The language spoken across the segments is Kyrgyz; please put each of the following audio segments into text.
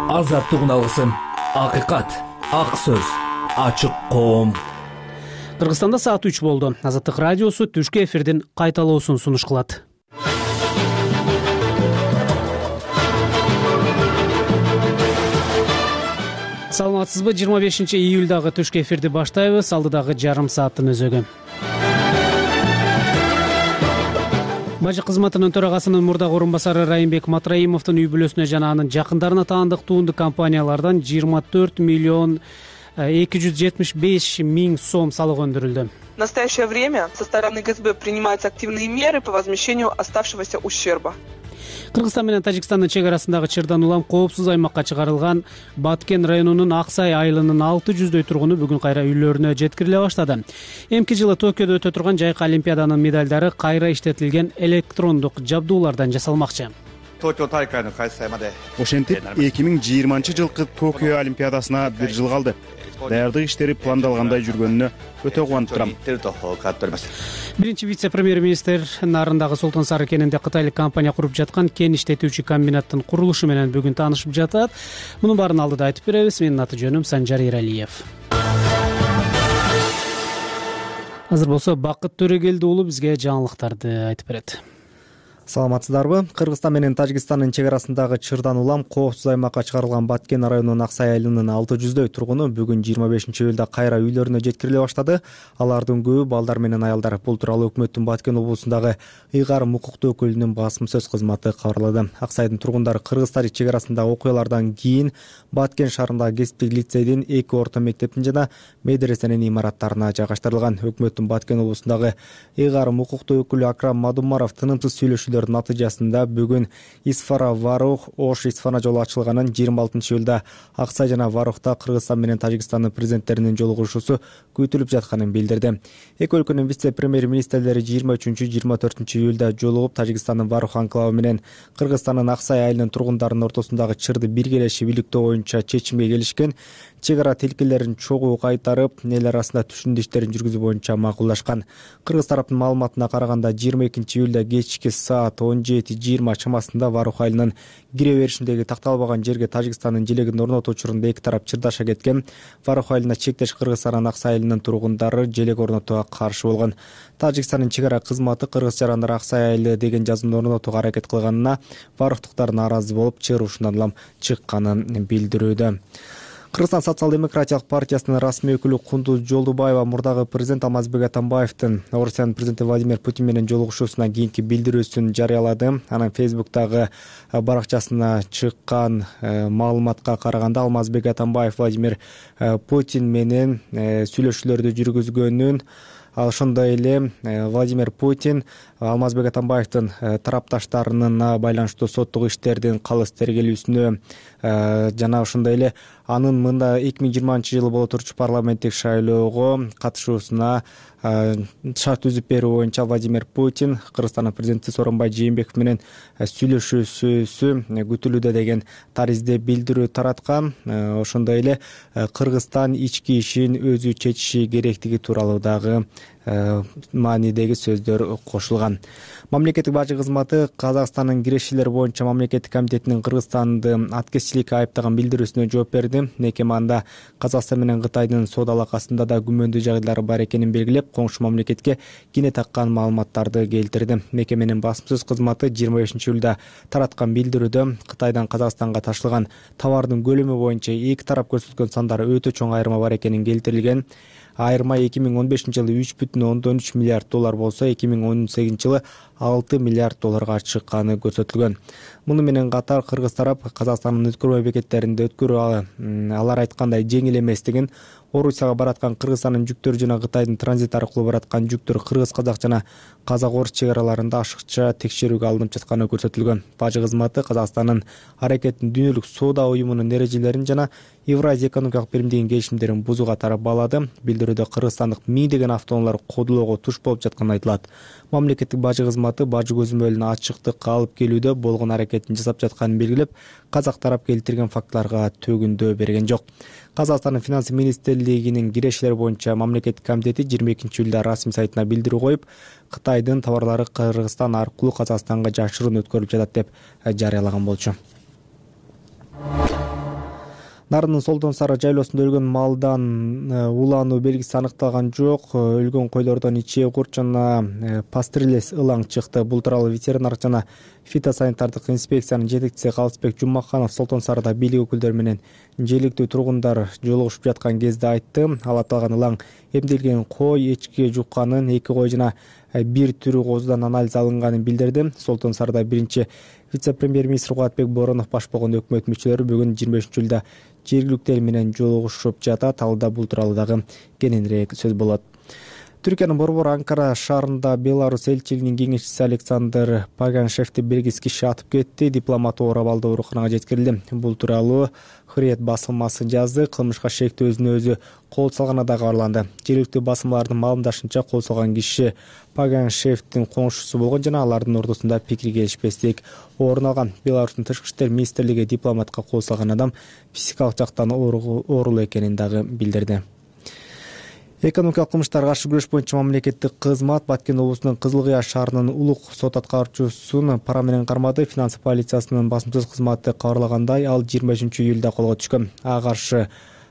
Азаттык алгысым, акыйкат, ак сөз, ачык коом. Кыргызстанда саат 3 болду. Азаттык радиосу түшкү эфирдин кайталоосун сунуш кылат. Саламатсызбы? 25-июлдагы түшкү эфирди баштайбыз. Алдыдагы жарым сааттын өзөгү. Бажы кызматынын төрагасынын мурдагы орун-басары Райымбек Матраимовдун үй бүлөсүнө жана анын жакындарына таандык туунду компаниялардан 24 миллион 275 миң сом салык өндүрүлдү. В настоящее время со стороны ГСБ принимаются активные меры по возмещению оставшегося ущерба. Кыргызстан менен Тажикстандын чек арасындагы чырдан улам коопсуз аймакка чыгарылган Баткен районунун Аксай айылынын 600дөй тургуну бүгүн кайра үйлөрүнө жеткириле баштады. Эмки жылы Токиодо өтө турган жайкы олимпиаданын медалдары кайра иштетилген электрондук жабдуулардан жасалмакчы. Ошентип 2020-жылкы Токио олимпиадасына 1 жыл калды. Даярдык иштери пландалгандай жүргөнүнө өтө кубанып турам. Биринчи вице-премьер-министр нарындагы Султан Сары кенинде кытайлык компания куруп жаткан кен иштетүүчү комбинаттын курулушу менен бүгүн таанышып жатат. Мунун баарын алдыда айтып беребиз. Менин аты жөнүм Санжар Иралиев. Азыр болсо Бакыт Төрөгелди уулу бизге жаңылыктарды айтып берет. Саламатсыздарбы? Кыргызстан менен Тажикстандын чек арасындагы чырдан улам коопсуз аймакка чыгарылган Баткен районунун Аксай айылынын 600дөй тургуну бүгүн 25-июлда кайра үйлөрүнө жеткириле баштады. Алардын көбү балдар менен аялдар. Бул тууралуу өкмөттүн Баткен облусундагы ыйгарым укуктуу өкүлүнүн басым сөз кызматы кабарлады. Аксайдын тургундары Кыргыз-Тажик чек арасындагы окуялардан кийин Баткен шаарындагы кесиптик лицейдин 2 орто мектептин жана медресенин имараттарына жайгаштырылган. Өкмөттүн Баткен облусундагы ыйгарым укуктуу өкүлү Акрам Мадумаров тынымсыз сүйлөшүүлөр натыйжасында бүгүн Исфара Варух Ош Исфана жолу ачылганын 26-июлда Аксай жана Варухта Кыргызстан менен Тажикстандын президенттеринин жолугушуусу күтүлүп жатканын билдирди. Эки өлкөнүн вице-премьер-министрлери 23-24-июлда жолугуп Тажикстандын Варух анклавы менен Кыргызстандын Аксай айылынын тургундарынын ортосундагы чырды биргелеши бийликтөө боюнча чечимге келишкен. Чек ара тилкелерин чогуу кайтарып, эл арасында түшүндү иштерин жүргүзүү боюнча макулдашкан. Кыргыз тараптын маалыматына караганда 22-июлда кечки саат 17:20 чамасында Варух айылынын кире беришиндеги такталбаган жерге Тажикстандын желегин орнотуу учурунда эки тарап чырдаша кеткен. Варух айылына чектеш Кыргызстандын Аксай айылынын тургундары желек орнотууга каршы болгон. Тажикстандын чек ара кызматы кыргыз жарандар Аксай айылы деген жазууну орнотууга аракет кылганына Варухтуктар нааразы болуп, чыгыр ушундан улам чыкканын билдирүүдө. Кыргызстан социал-демократиялык партиясынын расмий өкүлү Кундуз Жолдубаева мурдагы президент Алмазбек Атамбаевдин Орусиянын президенти Владимир Путин менен жолугушуусунан кийинки билдирүүсүн жарыялады. Анын Фейсбуктагы баракчасына чыккан маалыматка караганда Алмазбек Атамбаев Владимир Путин менен сүйлөшүүлөрдү жүргүзгөнүн, ошондой эле Владимир Путин Алмазбек Атамбаевдин тарапташтарына байланыштуу соттук иштердин калыс тергелүүсүнө жана ошондой эле анын мында 2020-жылы боло турчу парламенттик шайлоого катышуусуна шарт түзүп берүү боюнча Владимир Путин Кыргызстандын президенти Сооронбай Жээнбеков менен сүйлөшүүсү күтүлүүдө деген таризде билдирүү тараткан. Ошондой эле Кыргызстан ички ишин өзү чечиши керектиги тууралуу дагы маанидеги сөздөр кошулган. Мамлекеттик бажы кызматы Казакстандын кирешилер боюнча мамлекеттик комитетинин Кыргызстанды аткезчиликке айыптаган билдирүүсүнө жооп берди. Мекеманда Казакстан менен Кытайдын соода алакасында да күмөндүү жагдайлар бар экенин белгилеп, коңшу мамлекетке кине таккан маалыматтарды келтирди. Мекеменин басым сөз кызматы 25-июлда тараткан билдирүүдө Кытайдан Казакстанга ташылган товардын көлөмү боюнча эки тарап көрсөткөн сандары өтө чоң айырма бар экенин келтирилген. Айырма 2015-жылы 3,3 миллиард доллар болсо, 2018-жылы 6 миллиард долларга чыкканы көрсөтүлгөн. Муну менен катар кыргыз тарап Казакстандын өткөрмө бекеттеринде өткөрүү алар айткандай жеңил эместигин, Орусияга бараткан Кыргызстандын жүктөрү жана Кытайдын транзит аркылуу бараткан жүктөр кыргыз-казак жана казак-орус чек араларында ашыкча текшерүүгө алынып жатканы көрсөтүлгөн. Бажы кызматы Казакстандын аракетин дүйнөлүк соода уюмунун эрежелерин жана Евразия экономикалык биримдигинин келишимдерин бузуу катары баалады. Билдирүүдө кыргызстандык миңдеген автоунаалар кодулоого туш болуп жатканы айтылат. Мамлекеттик бажы кызматы бажы көзөмөлүнө ачыктыкка алып келүүдө болгон аракетин жасап жатканын белгилеп, казак тарап келтирген фактыларга төгүндөө берген жок. Казакстандын финансы министрлигинин кирешилер боюнча мамлекеттик комитети 22-июлда расмий сайтына билдирүү коюп, Кытайдын товарлары Кыргызстан аркылуу Казакстанга жашыруун өткөрүлүп жатат деп жарыялаган болчу. Нарынын Солтон Сары жайлоосунда өлгөн малдан улануу белгиси аныкталган жок. Өлгөн койлордон ичээ курт жана пастереллез ылаң чыкты. Бул тууралуу ветеринардык жана фитосанитардык инспекциянын жетекчиси Калысбек Жумаканов Солтон Сарыда бийлик өкүлдөрү менен желиктүү тургундар жолугушуп жаткан кезде айтты. Ал аталган ылаң эмделген кой, эчки жукканын, 2 кой жана бир түрү козудан анализ алынганын билдирди. Солтон Сарыда биринчи вице-премьер-министр Кубатбек Боронов баш болгон өкмөт мүчөлөрү бүгүн 25-июлда жергиликтүү эл менен жолугушуп жатат. Алда бул тууралуу дагы кененирээк сөз болот. Түркиянын борбор Анкара шаарында Беларусь элчилигинин кеңешчиси Александр Паганшевди белгисиз киши атып кетти. Дипломат оор абалда ооруканага жеткирилди. Бул тууралуу Hürriyet басылмасы жазды. Кылмышка шектүү өзүнө өзү кол салганы да кабарланды. Жергиликтүү басылмалардын маалымдашынча, кол салган киши Паганшевдин коңшусу болгон жана алардын ортосунда пикир келишпестик орун алган. Беларустун тышкы иштер министрлиги дипломатка кол салган адам физикалык жактан оорулуу экенин дагы билдирди. Экономикалык кылмыштарга каршы күрөш боюнча мамлекеттик кызмат Баткен облусунун Кызыл Кыя шаарынын улук сот аткаруучусун пара менен кармады. Финансы полициясынын басмасөз кызматы кабарлагандай, ал 25-июлда колго түшкөн. Ага каршы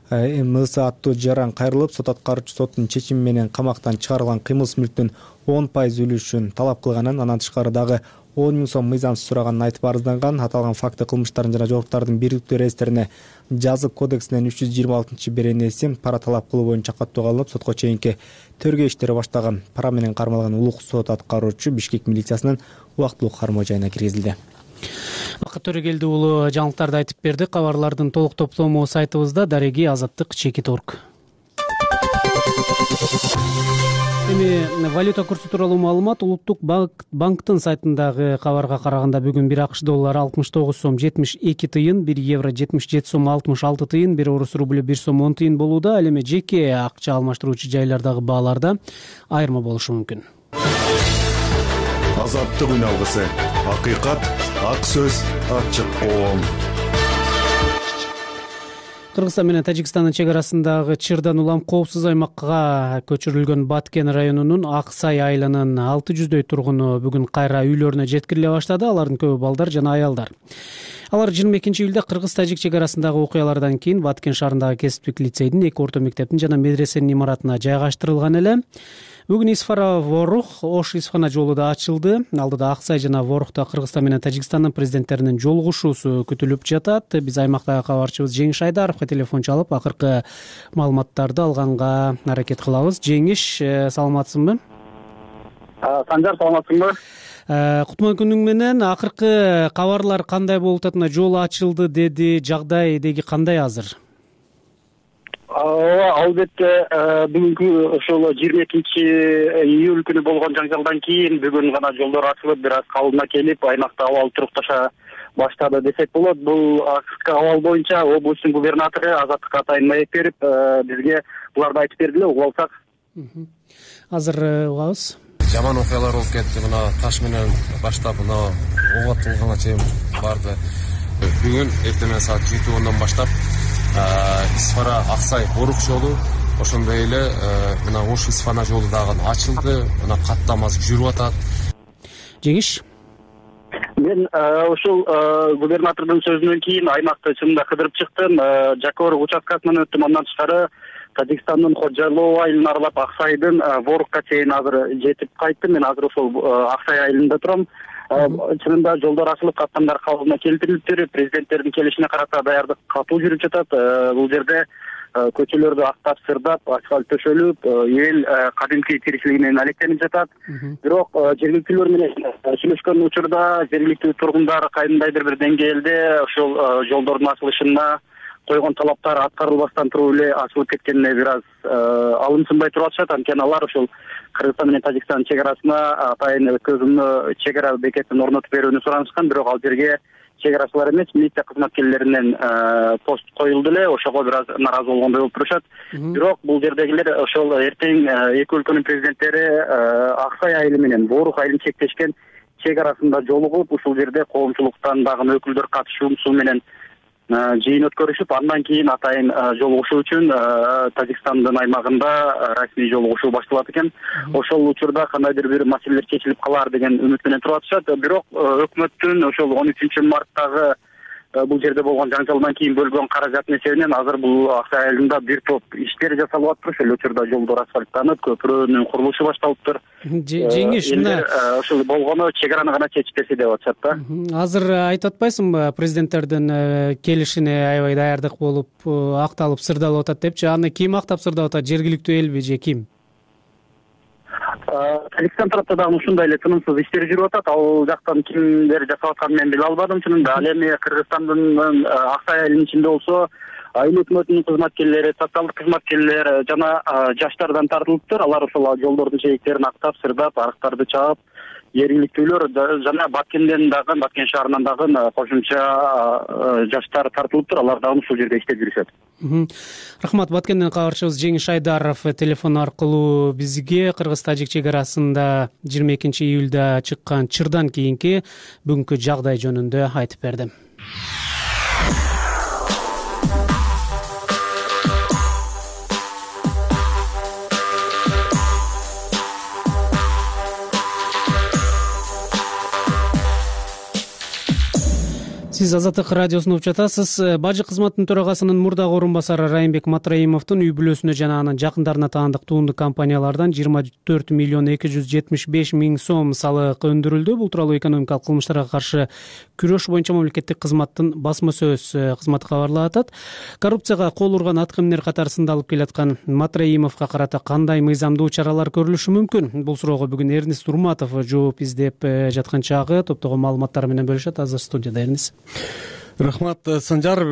МС аттуу жаран кайрылып, сот аткаруучу соттун чечими менен камактан чыгарылган кыймылсыз мүлктүн 10% үлүшүн талап кылганын, андан тышкары дагы 10 000 сом мыйзамсыз сураганын айтып арызданган. Аталган факты кылмыштардын жана жоруктардын бириктүү реестрине жазык кодексинин 326-беренеси пара талап кылуу боюнча каттоого алынып, сотко чейинки тергөө иштери баштаган. Пара менен кармалган улук сот аткаруучу Бишкек милициясынын убактылуу кармоо жайына киргизилди. Бакыт Төрөгелди уулу жаңылыктарды айтып берди. Кабарлардын толук топтому сайтыбызда дареги azаттык.org. Эми валюта курсу тууралуу маалымат Улуттук банктын сайтындагы кабарга караганда бүгүн 1 АКШ доллары 69 сом 72 тыйын, 1 евро 77 сом 66 тыйын, 1 орус рублю 1 сом 10 тыйын болууда. Ал эми жеке акча алмаштыруучу жайлардагы бааларда айырма болушу мүмкүн. Азаттык үн алгысы. Акыйкат, ак сөз, ачык коом. Кыргызстан менен Тажикстандын чек арасындагы чырдан улам коопсуз аймакка көчүрүлгөн Баткен районунун Аксай айылынын 600дөй тургуну бүгүн кайра үйлөрүнө жеткириле баштады. Алардын көбү балдар жана аялдар. Алар 22-июлда Кыргыз-Тажик чек арасындагы окуялардан кийин Баткен шаарындагы кесиптик лицейдин, 2 орто мектептин жана медресенин имаратына жайгаштырылган эле. Бүгүн Исфара Ворух Ош Исфана жолу да ачылды. Алдыда Аксай жана Ворухта Кыргызстан менен Тажикстандын президенттеринин жолугушуусу күтүлүп жатат. Биз аймактагы кабарчыбыз Жеңиш Айдаровго телефон чалып, акыркы маалыматтарды алганга аракет кылабыз. Жеңиш, саламатсыңбы? Санжар, саламатсыңбы? Кутман күнүң менен. Акыркы кабарлар кандай болуп атат? Жол ачылды деди. Жагдай деги кандай азыр? Албетте, бүгүнкү ошол 22-июль күнү болгон жаңжалдан кийин бүгүн гана жолдор ачылып, бир аз калыбына келип, аймакта абал турукташа баштады десек болот. Бул абал боюнча облустун губернатору Азаттык Атайын маек берип, бизге буларды айтып берди эле, угуп алсак. Азыр угабыз. Жаман окуялар болуп кетти. Мына таш менен баштап, мына ок атылганга чейин барды. Бүгүн эртең саат 7:10 баштап Исфара Аксай Ворух жолу, ошондой эле мына Ош Исфана жолу дагы ачылды. Мына каттамасы жүрүп атат. Жеңиш, мен ошол губернатордун сөзүнөн кийин аймакты чынында кыдырып чыктым. Жакор участкасынан өттүм. Андан тышкары Тажикстандын Ходжайлоо айылын аралап Аксайдын Ворухка чейин азыр жетип кайттым. Мен азыр ошол Аксай айылында турам. Чынында жолдор ачылып, каттамдар калыбына келтирилиптир. Президенттердин келишине карата даярдык катуу жүрүп жатат. Бул жерде көчөлөрдү актап, сырдап, асфальт төшөлүп, эл кадимки тиричилиги менен алектенип жатат. Бирок жергиликтүүлөр менен сүйлөшкөн учурда жергиликтүү тургундар кайдандайдыр бир деңгээлде ошол жолдордун ачылышына койгон талаптар аткарылбастан туруп эле ачылып кеткенине бир аз алымсынбай туруп атышат. Анткени алар ошол Кыргызстан менен Тажикстан чек арасына атайын көзөмлө чек ара бекетин орнотуп берүүнү суранышкан. Бирок ал жерге чек арачылар эмес, милиция кызматкерлеринен пост коюлду эле. Ошого бир аз нааразы болгондой болуп турушат. Бирок бул жердегилер ошол эртең эки өлкөнүн президенттери Аксай айылы менен Ворух айылын чектешкен чек арасында жолугуп, ушул жерде коомчулуктан дагы өкүлдөр катышуусу менен жыйын өткөрүшүп, андан кийин атайын жолугушуу үчүн Тажикстандын аймагында расмий жолугушуу башталат экен. Ошол учурда кандайдыр бир маселелер чечилип калар деген үмүт менен туруп атышат. Бирок өкмөттүн ошол 13 марттагы бул жерде болгон жаңжалдан кийин бөлгөн каражаттын эсебинен азыр бул Аксай айылында бир топ иштер жасалып атыптыр. Ошол учурда жолдор асфальттанып, көпүрөнүн курулушу башталыптыр. Жеңиш, мына ушул болгону чек араны гана чечип берсе деп атышат да. Азыр айтып атпайсыңбы, президенттердин келишине аябай даярдык болуп, акталып, сырдалып атат депчи. Аны ким актап сырдап атат? Жергиликтүү элби же ким? Тажикстан тарапта дагы ушундай эле тынымсыз иштер жүрүп атат. Ал жактан кимдер жасап атканын мен биле албадым чынында. Ал эми Кыргызстандын Аксай айылынын ичинде болсо айыл өкмөтүнүн кызматкерлери, социалдык кызматкерлер жана жаштардан тартылыптыр. Алар ошол жолдордун жээктерин актап, сырдап, арыктарды чаап, жергиликтүүлөр жана Баткенден дагы, Баткен шаарынан дагы кошумча жаштар тартылыптыр. Алар дагы ушул жерде иштеп жүрүшөт. Рахмат. Баткенден кабарчыбыз Жеңиш Айдаров телефон аркылуу бизге кыргыз-тажик чек арасында 22-июлда чыккан чырдан кийинки бүгүнкү жагдай жөнүндө айтып берди. Сиз Азаттык радиосун угуп жатасыз. Бажы кызматынын төрагасынын мурдагы орун басары Райымбек Матраимовдун үй бүлөсүнө жана анын жакындарына таандык туунду компаниялардан 24 миллион 275 миң сом салык өндүрүлдү. Бул тууралуу экономикалык кылмыштарга каршы күрөш боюнча мамлекеттик кызматтын басма сөз кызматы кабарлап атат. Коррупцияга кол урган аткаминер катарында алып келаткан Матраимовго карата кандай мыйзамдуу чаралар көрүлүшү мүмкүн? Бул суроого бүгүн Эрнис Урматов жооп издеп жаткан чагы топтогон маалыматтар менен бөлүшөт. Азыр студияда Эрнис. Рахмат, Санжар.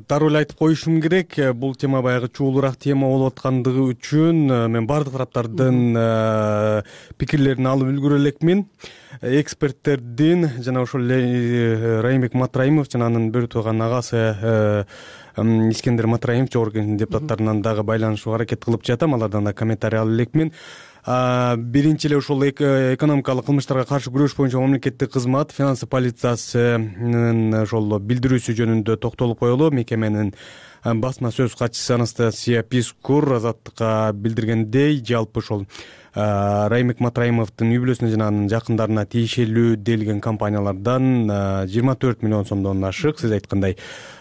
Дароо эле айтып коюшум керек, бул тема баягы чуулураак тема болуп аткандыгы үчүн мен бардык тараптардын пикирлерин алып үлгүрө элекмин. Эксперттердин жана ошол эле Райымбек Матраимов жана анын бөлө турган агасы Искендер Матраимов жогорку кеңештин депутаттарынан дагы байланышууга аракет кылып жатам. Алардан да комментарий алып элекмин. Биринчи эле ошол экономикалык кылмыштарга каршы күрөш боюнча мамлекеттик кызмат финансы полициясынын ошол билдирүүсү жөнүндө токтолуп коелу. Мекеменин басма сөз катчысы Анастасия Пискур Азаттыкка билдиргендей, жалпы ошол Райымбек Матраимовдун үй бүлөсүнө жана анын жакындарына тиешелүү делген компаниялардан 24 миллион сомдон ашык, сиз айткандай,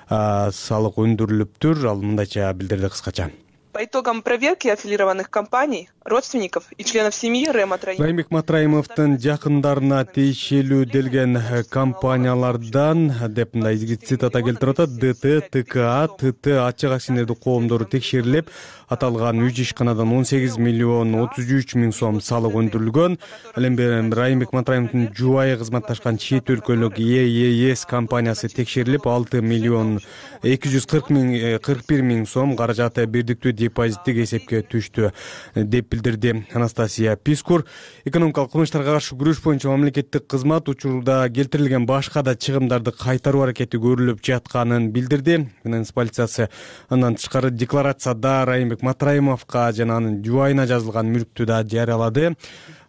салык өндүрүлүптүр. Ал мындайча билдирди кыскача. По итогам проверки аффилированных компаний, родственников и членов семьи Райымбек Матраимовдун жакындарына тиешелүү делген компаниялардан деп мындай цитата келтирип атат: ДТ, ТКА, ТТ ачык акционердик коомдору текшерилип, аталган 3 ишканадан 18 миллион 33 миң сом салык өндүрүлгөн. Ал эми Райымбек Матраимовдун жубайы кызматташкан чет өлкөлүк ЕЕС компаниясы текшерилип, 6 миллион 241 миң сом каражаты бирдиктүү депозиттик эсепке түштү деп билдирди Анастасия Пискур. Экономикалык кылмыштарга каршы күрөш боюнча мамлекеттик кызмат учурда келтирилген башка да чыгымдарды кайтаруу аракети көрүлүп жатканын билдирди. Финанс полициясы андан тышкары декларацияда Райымбек Матраимовго жана анын жубайына жазылган мүлктү да жарыялады.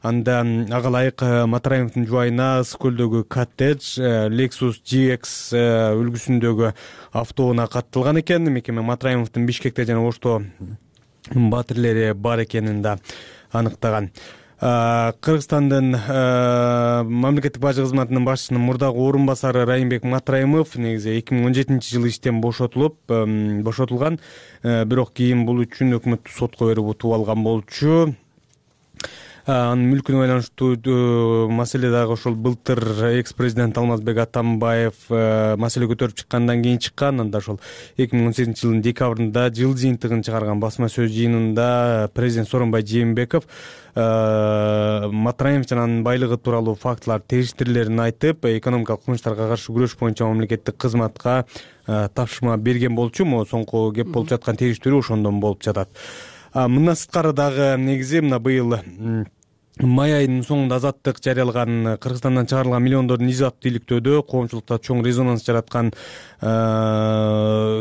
Анда ага ылайык Матраимовдун жубайына Ысык көлдөгү коттедж, Lexus GX үлгүсүндөгү автоунаа катталган экен. Мекеме Матраимовдун Бишкекте жана Ошто батирлери бар экенин да аныктаган. Кыргызстандын мамлекеттик бажы кызматынын башчысынын мурдагы орун басары Райымбек Матраимов негизи 2017-жылы иштен бошотулган, бирок кийин бул үчүн өкмөттүк сотко берип утуп алган болчу. Анын мүлкүнө байланыштуу маселе дагы ошол былтыр экс-президент Алмазбек Атамбаев маселе көтөрүп чыккандан кийин чыккан. Анда ошол 2018-жылдын декабрында жыл жыйынтыгын чыгарган басма сөз жыйынында президент Сооронбай Жээнбеков Матраимов жана анын байлыгы тууралуу фактылар териштирилерин айтып, экономикалык кылмыштарга каршы күрөш боюнча мамлекеттик кызматка тапшырма берген болчу. Могу соңку кеп болуп жаткан териштирүү ошондон болуп жатат. Мындан сырткары дагы негизи мына быйыл май айынын соңунда Азаттык жарыялаган Кыргызстандан чыгарылган миллиондордун изо активдүүлүктөөдө коомчулукта чоң резонанс жараткан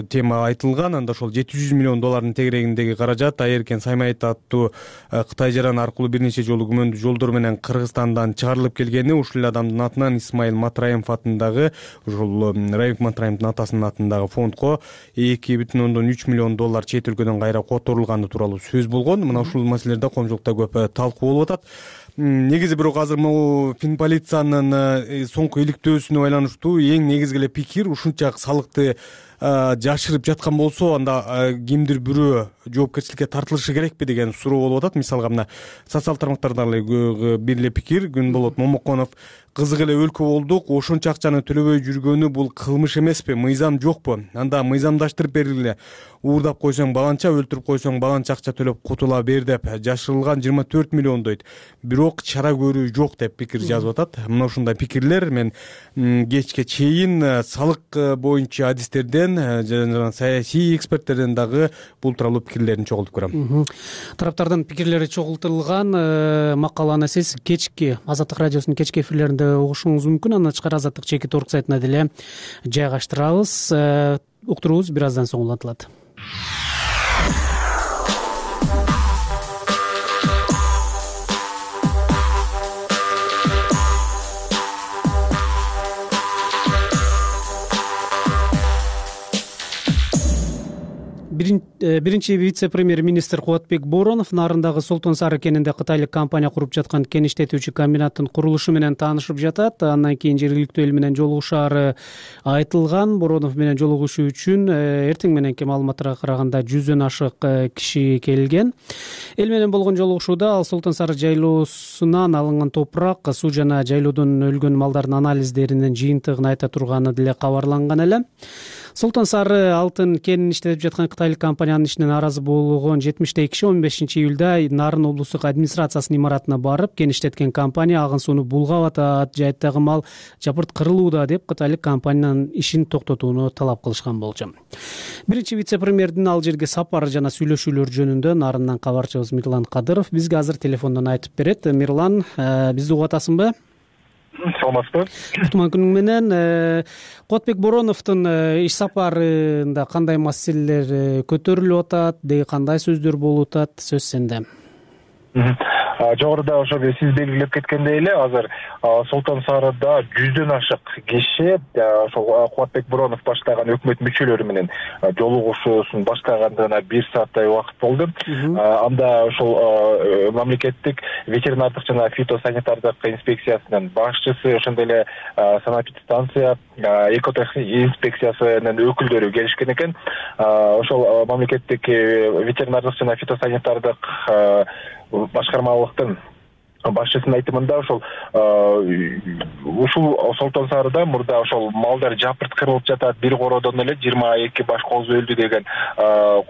тема айтылган. Анда ошол $700 миллион тегерегиндеги каражат Айеркен Саймайт аттуу Кытай жараны аркылуу бир нече жолу күмөндүү жолдор менен Кыргызстандан чыгарылып келгени, ушул эле адамдын атынан Исмаил Матраимов атындагы, ошол Райымбек Матраимовдун атасынын атындагы фондко $2,3 миллион чет өлкөдөн кайра которулганы тууралуу сөз болгон. Мына ушул маселелерде коомчулукта көп талкуу болуп атат. негизи бирок азыр могу Финполициянын соңку иликтөөсүнө байланыштуу эң негизги эле пикир ушунча салыкты жашырып жаткан болсо анда кимдир бирөө жоопкерчиликке тартылышы керекпи деген суроо болуп атат. Мисалга мына социал тармактарда бир эле пикир Күнболот Момоконов: кызык эле өлкө болдук, ошончо акчаны төлөбөй жүргөнү бул кылмыш эмеспи, мыйзам жокпу? Анда мыйзамдаштырып бергиле, уурдап койсоң баланча, өлтүрүп койсоң баланча акча төлөп кутула бер деп жашырылган 24 миллион дейт. Бирок чара көрүү жок деп пикир жазып атат. Мына ушундай пикирлер мен кечке чейин салык боюнча адистерден жана саясий эксперттерден дагы бул тууралуу пикирлерин чогултуп көрөм. Тараптардын пикирлери чогултулган макаланы сиз кечки Азаттык радиосунун кечки эфирлеринде угушуңуз мүмкүн. Андан тышкары Азаттык чекит орг сайтына деле жайгаштырабыз. Уктуруубуз бир аздан соң улантылат. Биринчи вице-премьер-министр Кубатбек Боронов Нарындагы Солтон Сары кенинде кытайлык компания куруп жаткан кен иштетүүчү комбинаттын курулушу менен таанышып жатат. Андан кийин жергиликтүү эл менен жолугушаары айтылган. Боронов менен жолугушуу үчүн эртең мененки маалыматтарга караганда 100дөн ашык киши келген. Эл менен болгон жолугушууда ал Солтон Сары жайлоосунан алынган топурак, суу жана жайлоодон өлгөн малдардын анализдеринин жыйынтыгын айта турганы деле кабарланган эле. Солтон Сары алтын кенин иштетип жаткан кытайлык компаниянын ишине нааразы болгон 70 киши 15-июлда Нарын облустук администрациясынын имаратына барып, кен иштеткен компания агын сууну булгап атат, жайыттагы мал жапырт кырылууда деп кытайлык компаниянын ишин токтотууну талап кылышкан болчу. Биринчи вице-премьердин ал жерге сапары жана сүйлөшүүлөр жөнүндө Нарындан кабарчыбыз Мирлан Кадыров бизге азыр телефондон айтып берет. Мирлан, бизди угуп атасыңбы? Саламатсызбы? Кутман күнүң менен. Кубатбек Бороновдун иш сапарында кандай маселелер көтөрүлүп атат, деги кандай сөздөр болуп атат? Сөз сенде. Жогоруда ошо сиз белгилеп кеткендей эле, азыр Солтон Сарыда 100дөн ашык киши ошол Кубатбек Боронов баштаган өкмөт мүчөлөрү менен жолугушуусун баштагандыгына 1 сааттай убакыт болду. Анда ошол мамлекеттик ветеринардык жана фитосанитардык инспекциясынын башчысы, ошондой эле санэпидстанция, экотех инспекциясынын өкүлдөрү келишкен экен. Ошол мамлекеттик ветеринардык жана фитосанитардык башкармалыктын башчысынын айтымында ушул Солтон Сарыда мурда ошол малдар жапырт кырылып жатат, бир кородон эле 22 баш кооз өлдү деген,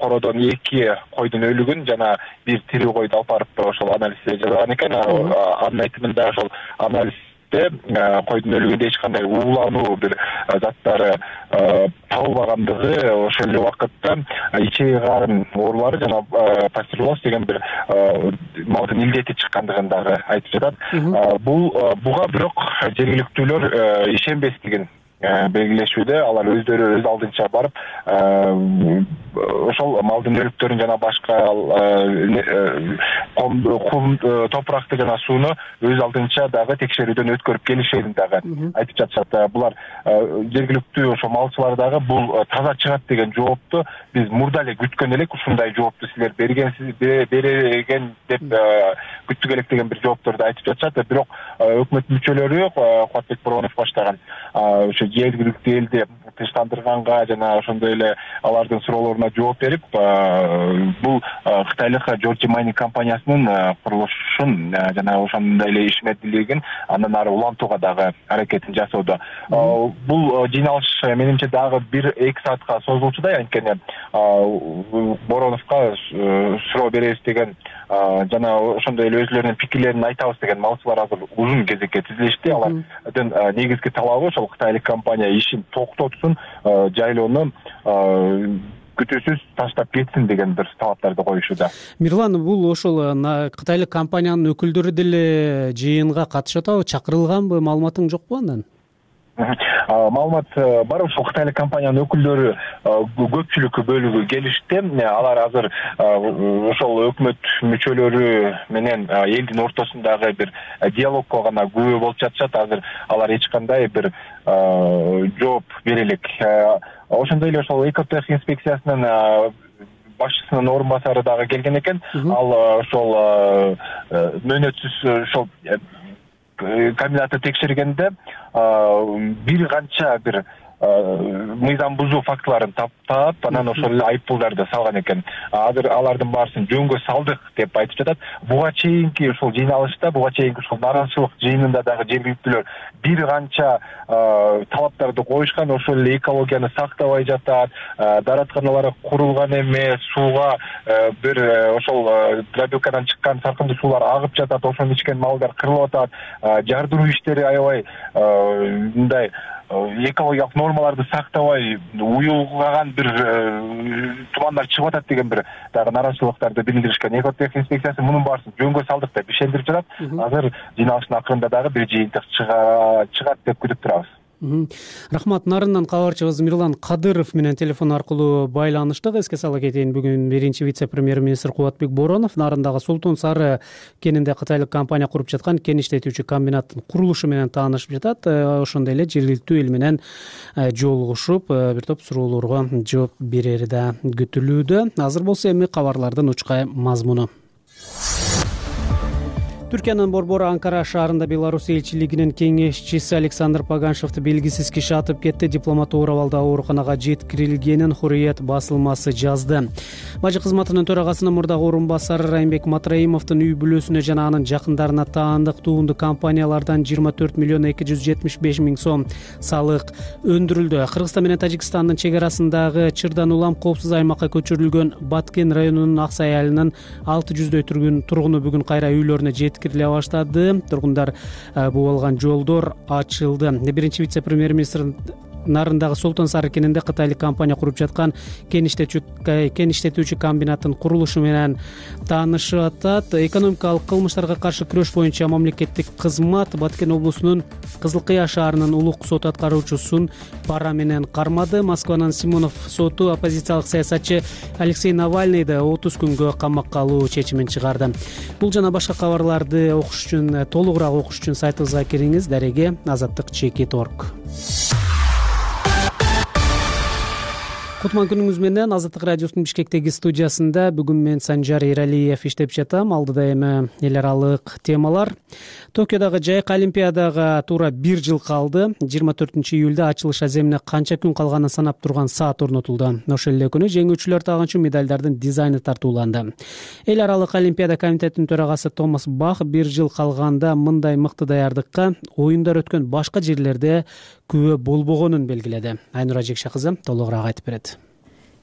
кородон 2 койдун өлүгүн жана бир тирүү койду алып барып ошол анализ жасаган экен. Анын айтымында ошол анализ койдун өлүгүндө эч кандай уулануу бир заттары табылбагандыгы, ошол эле убакытта ичеги карын оорулары жана пастереллез деген бир малдын илдети чыккандыгын дагы айтып жатат. Буга бирок жергиликтүүлөр ишенбестигин белгилешүүдө, алар өздөрү өз алдынча барып ошол малдын өлүктөрүн жана башка кум топуракты жана сууну өз алдынча дагы текшерүүдөн өткөрүп келишерин дагы айтып жатышат. Булар жергиликтүү ошо малчылар дагы бул таза чыгат деген жоопту биз мурда эле күткөн элек, ушундай жоопту силер берген деп күттүк элек деген бир жоопторду айтып жатышат. Бирок өкмөт мүчөлөрү Кубатбек Боронов баштаган ошо жергиликтүү элди тынчтандырганга жана ошондой эле алардын суроолоруна жооп берип, бул кытайлык Georgia Mining компаниясынын курулушун жана ошондой эле ишмердүүлүгүн андан ары улантууга дагы аракетин жасоодо. Бул жыйналыш менимче дагы 1-2 саатка созулчудай, анткени Бороновго суроо беребиз деген жана ошондой эле өзлөрүнүн пикирлерин айтабыз деген малчылар азыр узун кезекке тизилишти. Алардын негизги талабы ошол кытайлык компания ишин токтотсун, жайлоону күтүүсүз таштап кетсин деген бир талаптарды коюшууда. Мирлан, бул ошол кытайлык компаниянын өкүлдөрү деле жыйынга катышып атабы, чакырылганбы, маалыматың жокпу андан? Маалымат бар, ошол кытайлык компаниянын өкүлдөрү көпчүлүк бөлүгү келишти. Алар азыр ошол өкмөт мүчөлөрү менен элдин ортосундагы бир диалогко гана күбө болуп жатышат. Азыр алар эч кандай бир жооп бере элек. Ошондой эле ошол экотех инспекциясынын башчысынын орун басары дагы келген экен. Ал ошол мөөнөтсүз ошол комбинатты текшергенде бир канча бир мыйзам бузуу фактыларын таап, анан ошол эле айыппулдарды салган экен. Азыр алардын баарысын жөнгө салдык деп айтып жатат. Буга чейинки ошол жыйналышта, буга чейинки ошол наразычылык жыйынында дагы жергиликтүүлөр бир канча талаптарды коюшкан. Ошол эле экологияны сактабай жатат, дааратканалар курулган эмес, сууга бир ошол дробилкадан чыккан саркындуу суулар агып жатат, ошону ичкен малдар кырылып атат, жардыруу иштери аябай мындай экологиялык нормаларды сактабай уюлгаган бир тумандар чыгып атат деген бир дагы наразычылыктарды билдиришкен. Экотехник инспекциясы мунун баарысын жөнгө салдык деп ишендирип жатат. Азыр жыйналыштын акырында дагы бир жыйынтык чыгат деп күтүп турабыз. Рахмат. Нарындан кабарчыбыз Мирлан Кадыров менен телефон аркылуу байланыштык. Эске сала кетейин, бүгүн биринчи вице-премьер-министр Кубатбек Боронов Нарындагы Султун Сары кенинде кытайлык компания куруп жаткан кен иштетүүчү комбинаттын курулушу менен таанышып жатат. Ошондой эле жергиликтүү эл менен жолугушуп, бир топ суроолорго жооп берери да күтүлүүдө. Азыр болсо эми кабарлардын учкай мазмуну. Түркиянын борбору Анкара шаарында Беларусь элчилигинин кеңешчиси Александр Паганшевди белгисиз киши атып кетти. Дипломат оор абалда ооруканага жеткирилгенин Хурриет басылмасы жазды. Бажы кызматынын төрагасынын мурдагы орун басары Райымбек Матраимовдун үй бүлөсүнө жана анын жакындарына таандык туунду компаниялардан 24 миллион 275 миң сом салык өндүрүлдү. Кыргызстан менен Тажикстандын чек арасындагы Чырдан улам коопсуз аймакка көчүрүлгөн Баткен районунун Аксай айылынын 600дөй тургуну бүгүн кайра үйлөрүнө жеткириле баштады. Тургундар буу алган жолдор ачылды. Биринчи вице-премьер-министр Нарындагы Султун Сары кенинде кытайлык компания куруп жаткан кен иштетүүчү комбинаттын курулушу менен таанышып атат. Экономикалык кылмыштарга каршы күрөш боюнча мамлекеттик кызмат Баткен облусунун Кызыл Кыя шаарынын улук сот аткаруучусун пара менен кармады. Москванын Симонов соту оппозициялык саясатчы Алексей Навальныйды 30 күнгө камакка алуу чечимин чыгарды. Бул жана башка кабарларды окуш үчүн, толугураак окуш үчүн сайтыбызга кириңиз. Дареге azatlyk.org. Кутман күнүңүз менен. Азаттык радиосунун Бишкектеги студиясында бүгүн мен Санжар Эралиев иштеп жатам. Алдыда эми эл аралык темалар. Токиодагы жайкы олимпиадага туура 1 жыл калды. 24-июлда ачылыш аземине канча күн калганын санап турган саат орнотулду. Ошол эле күнү жеңүүчүлөр тагынчу медалдардын дизайны тартууланды. Эл аралык олимпиада комитетинин төрагасы Томас Бах 1 жыл калганда мындай мыкты даярдыкка оюндар өткөн башка жерлерде күбө болбогонун белгиледи. Айнура Жекше кызы толугураак айтып берет.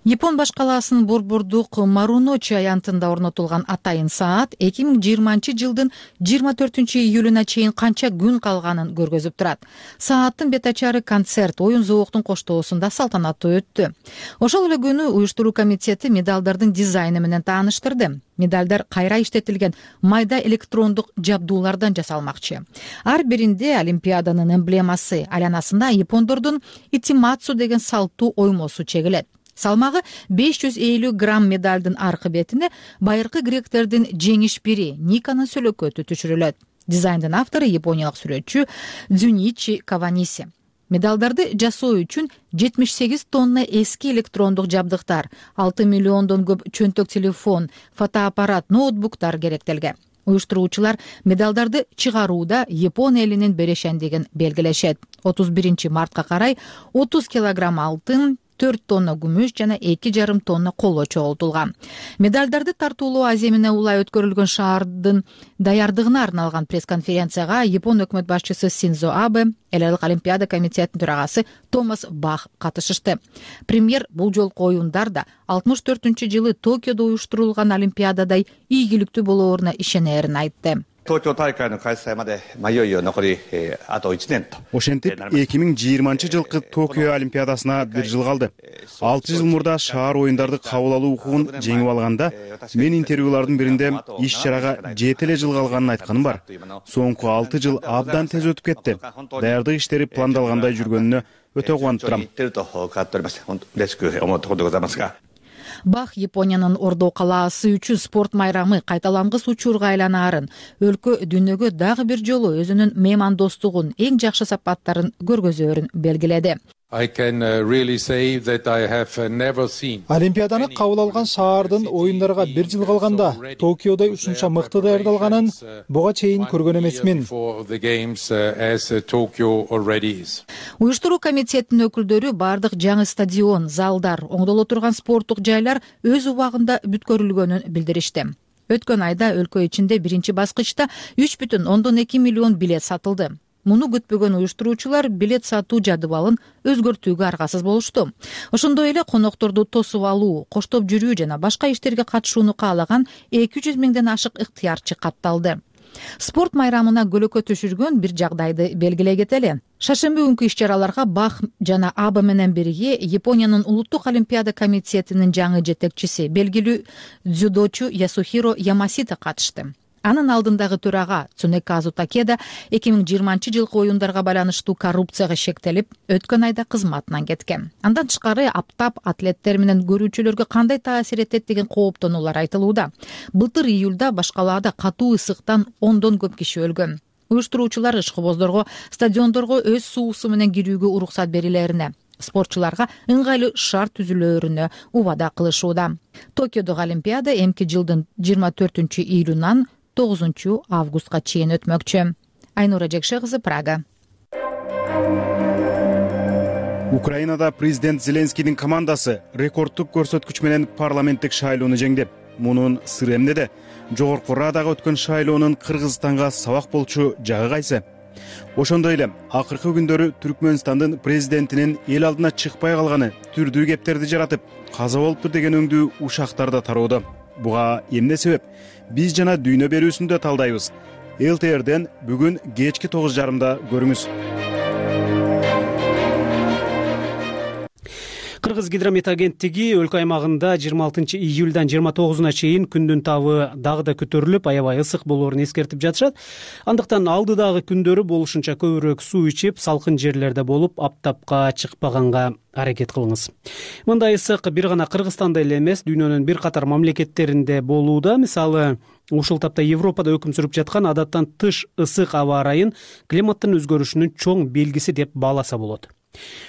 Япон баш калаасынын борбордук Маруночи аянтында орнотулган атайын саат 2020 жылдын 24-июлуна чейин канча күн калганын көргөзүп турат. Сааттын бет ачары концерт оюн зооктун коштоосунда салтанаттуу өттү. Ошол эле күнү уюштуруу комитети медалдардын дизайны менен тааныштырды. Медалдар кайра иштетилген майда электрондук жабдуулардан жасалмакчы. Ар биринде олимпиаданын эмблемасы, айланасында япондордун итимацу деген салттуу оймосу чегилет. Салмагы 550 грамм медалдын аркы бетине байыркы гректердин жеңиш бири Никанын сөлөкөтү түшүрүлөт. Дизайндын автору япониялык сүрөтчү Дзюничи Каваниси. Медалдарды жасоо үчүн 78 тонна эски электрондук жабдыктар, 6 миллиондон көп чөнтөк телефон, фотоаппарат, ноутбуктар керектелген. Уюштуруучулар медалдарды чыгарууда Япон элинин берешендигин белгилешет. 31 мартка карай 30 килограмм алтын, 4 тонна күмүш жана 2,5 тонна коло чогултулган. Медалдарды тартуулоо аземине улай өткөрүлгөн шаардын даярдыгына арналган пресс-конференцияга Япон өкмөт башчысы Синдзо Абе, эл аралык олимпиада комитетинин төрагасы Томас Бах катышышты. Премьер бул жолку оюндарда 64-жылы Токиодо уюштурулган олимпиададай ийгиликтүү болооруна ишенерин айтты. Ошентип 2020 жылкы Токио олимпиадасына 1 жыл калды. 6 жыл мурда шаар оюндарды кабыл алуу укугун жеңип алганда мен интервьюлардын биринде иш-чарага 7 эле жыл калганын айтканым бар. Соңку 6 жыл абдан тез өтүп кетти. Даярдык иштери пландалгандай жүргөнүнө өтө кубанып турам. Бах Япониянын Ордо калаасы үчүн спорт майрамы кайталангыс учурга айланаарын, өлкө дүйнөгө дагы бир жолу өзүнүн меймандостугун, эң жакшы сапаттарын көргөзөөрүн белгиледи. Олимпиаданы кабыл алган шаардын оюндарга бир жыл калганда Токиодо ушунча мыкты даярдалганын буга чейин көргөн эмесмин. Уюштуруу комитетинин өкүлдөрү бардык жаңы стадион, залдар, оңдоло турган спорттук жайлар өз убагында бүткөрүлгөнүн билдиришти. Өткөн айда өлкө ичинде биринчи баскычта 3,2 миллион билет сатылды. Муну күтпөгөн уюштуруучулар билет сатуу жадыбалын өзгөртүүгө аргасыз болушту. Ошондой эле конокторду тосуп алуу, коштоп жүрүү жана башка иштерге катышууну каалаган 200 миңден ашык ыктыярчы катталды. Спорт майрамына көлөкө түшүргөн бир жагдайды белгилей кетели. Шаршемби күнкү иш-чараларга БАХ жана АБА менен бирге Япониянын улуттук олимпиада комитетинин жаңы жетекчиси, белгилүү дзюдочу Ясухиро Ямасита катышты. Анын алдындагы төрага Цунеказу Такеда 2020 жылкы оюндарга байланыштуу коррупцияга шектелип, өткөн айда кызматынан кеткен. Андан тышкары аптап атлеттер менен көрүүчүлөргө кандай таасир этет деген кооптонуулар айтылууда. Былтыр июлда башкалаада катуу ысыктан 10дон көп киши өлгөн. Уюштуруучулар ишкыбоздорго стадиондорго өз суусу менен кирүүгө уруксат берилерине, спортчуларга ыңгайлуу шарт түзүлөрүнө убада кылышууда. Токиодогу Олимпиада эмки жылдын 24 июлунан 9 августка чейин өтмөкчү. Айнура Жекше кызы, Прага. Украинада президент Зеленскийдин командасы рекордтук көрсөткүч менен парламенттик шайлоону жеңди. Мунун сыры эмнеде? Жогорку Радага өткөн шайлоонун Кыргызстанга сабак болчу жагы кайсы? Ошондой эле акыркы күндөрү Түркмөнстандын президентинин эл алдына чыкпай калганы түрдүү кептерди жаратып, каза болуптур деген өңдүү ушактар да тароодо. Буга эмне себеп? Биз жана дүйнө берүүсүндө талдайбыз. ЛТРден бүгүн кечки 9:30 көрүңүз. Кыргыз гидромет агенттиги өлкө аймагында 26 июлдан 29 чейин күндүн табы дагы да көтөрүлүп, аябай ысык болоорун эскертип жатышат. Андыктан алдыдагы күндөрү болушунча көбүрөөк суу ичип, салкын жерлерде болуп, аптапка чыкпаганга аракет кылыңыз. Мындай ысык бир гана Кыргызстанда эле эмес, дүйнөнүн бир катар мамлекеттеринде болууда. Мисалы, ушул тапта Европада өкүм сүрүп жаткан адаттан тыш ысык аба ырайын климаттын өзгөрүшүнүн чоң белгиси деп бааласа болот.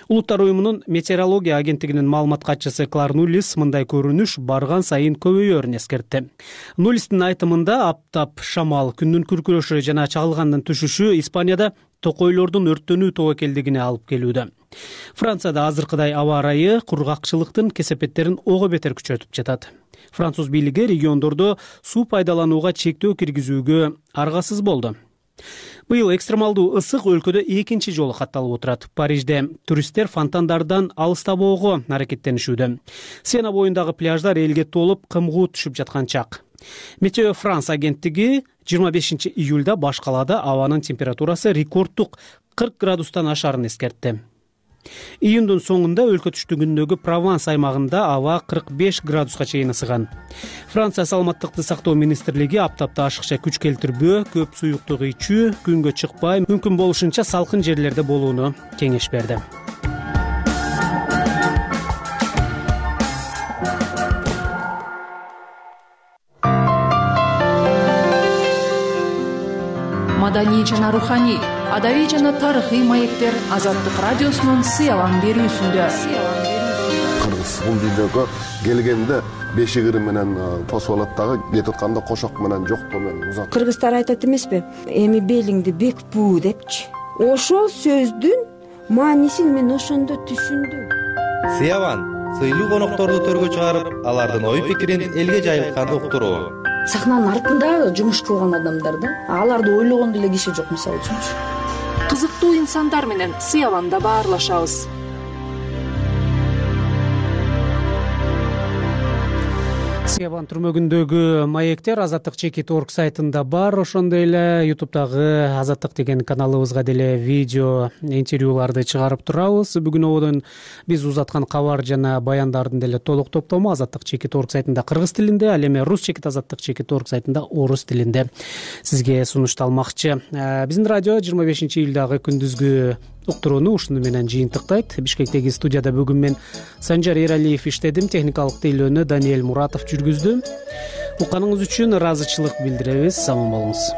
Улуттар уюмунун метеорология агенттигинин маалымат катчысы Клар Нуллис мындай көрүнүш барган сайын көбөйөөрүн эскертти. Нуллистин айтымында аптап, шамал, күндүн күркүрөшү жана чагылгандын түшүшү Испанияда токойлордун өрттөнүү тобокелдигине алып келүүдө. Францияда азыркыдай аба ырайы кургакчылыктын кесепеттерин ого бетер күчөтүп жатат. Француз бийлиги региондордо суу пайдаланууга чектөө киргизүүгө аргасыз болду. Быйыл экстремалдуу ысык өлкөдө экинчи жолу катталып отурат. Парижде туристтер фонтандардан алыстабоого аракеттенишүүдө. Сена боюндагы пляждар элге толуп, кымгуу түшүп жаткан чак. Метео Франс агенттиги 25 июлда баш калаада абанын температурасы рекордтук 40 градустан ашарын эскертти. Июндун соңунда өлкө түштүгүндөгү Прованс аймагында аба 45 градуска чейин ысыган. Франция саламаттыкты сактоо министрлиги аптапта ашыкча күч келтирбөө, көп суюктук ичүү, күнгө чыкпай, мүмкүн болушунча салкын жерлерде болууну кеңеш берди. Маданий жана руханий, адабий жана тарыхый маектер Азаттык радиосунун сыялан берүүсүндө. Кыргыз бул дүйнөгө келгенде бешигири менен тосуп алат дагы, кетип атканда кошок менен жоктоо менен узат. Кыргыздар айтат эмеспи? Эми белиңди бек буу депчи. Ошол сөздүн маанисин мен ошондо түшүндүм. Сыяван сыйлуу конокторду төргө чыгарып, алардын ой пикирин элге жайылткан уктуруу. Сахнанын артында жумуш кылган адамдар да, аларды ойлогон деле киши жок, мисалы үчүнчү. Кызыктуу инсандар менен Сыяванда баарлашабыз. Сыяван түрмөгүндөгү маектер Азаттык Чекит.org сайтында бар. Ошондой эле YouTube'дагы Азаттык деген каналыбызга деле видео интервьюларды чыгарып турабыз. Бүгүн ободон биз узаткан кабар жана баяндардын деле толук топтому Азаттык Чекит.org сайтында кыргыз тилинде, ал эми Рус Чекит Азаттык Чекит.org сайтында орус тилинде сизге сунушталмакчы. Биздин радио 25 июлдагы күндүзгү уктурууну ушуну менен жыйынтыктайт. Бишкектеги студияда бүгүн мен Санжар Эралиев иштедим, техникалык тейлөөнү Даниэль Муратов жүргүздү. Укканыңыз үчүн ыраазычылык билдиребиз. Аман болуңуз.